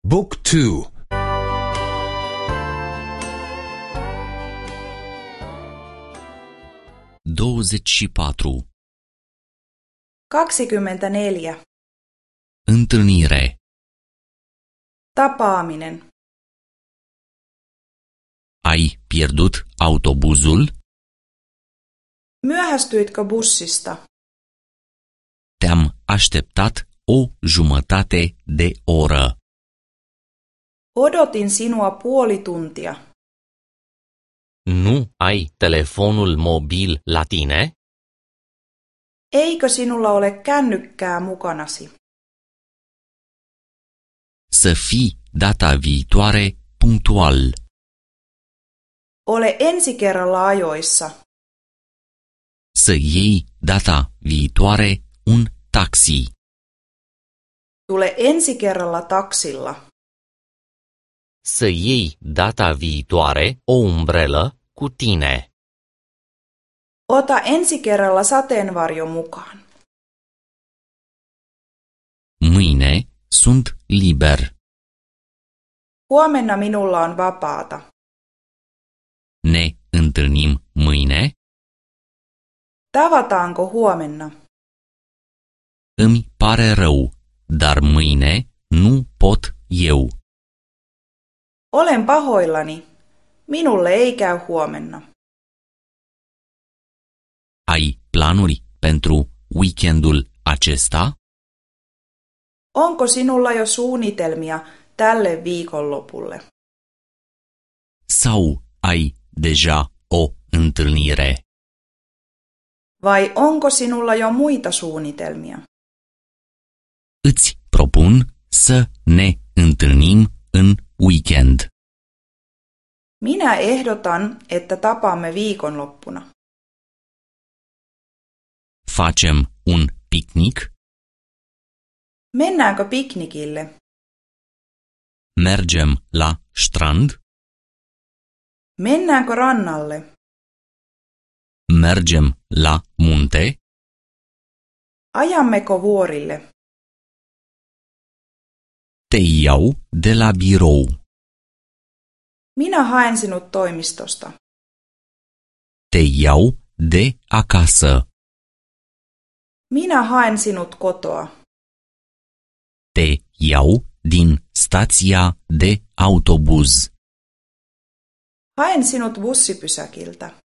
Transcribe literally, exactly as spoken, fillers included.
Book two. douăzeci și patru. kaksikymmentäneljä. Întâlnire. Tapaaminen. Ai pierdut autobuzul? Myöhästyitkö bussista? Te-am așteptat o jumătate de oră. Odotin sinua puoli tuntia. Nu ai telefonul mobil la tine? Eikö sinulla ole kännykkää mukanasi? Să fii data viitoare punctual. Ole ensi kerralla ajoissa. Să iei data viitoare un taxi. Tule ensi kerralla taksilla. Să iei data viitoare o umbrelă cu tine. Ota ensi kerralla sateenvarjo mukaan. Mâine sunt liber. Huomenna minulla on vapaata. Ne întâlnim mâine? Tavataanko huomenna? Îmi pare rău, dar mâine nu pot eu. Olen pahoillani. Minulle ei käy huomenna. Ai planuri pentru weekendul acesta? Onko sinulla jo suunnitelmia tälle viikonlopulle? Sau ai deja o întâlnire? Vai onko sinulla jo muita suunnitelmia? Îți propun să ne întâlnim în weekend. Minä ehdotan, että tapaamme viikonloppuna. Facem un picnic? Mennäänkö piknikille? Mergem la strand? Mennäänkö rannalle? Mergem la munte? Ajammeko vuorille? Te iau de la birou. Minä haen sinut toimistosta. Te iau de acasă. Minä haen sinut kotoa. Te iau din stația de autobuz. Haen sinut bussipysäkiltä.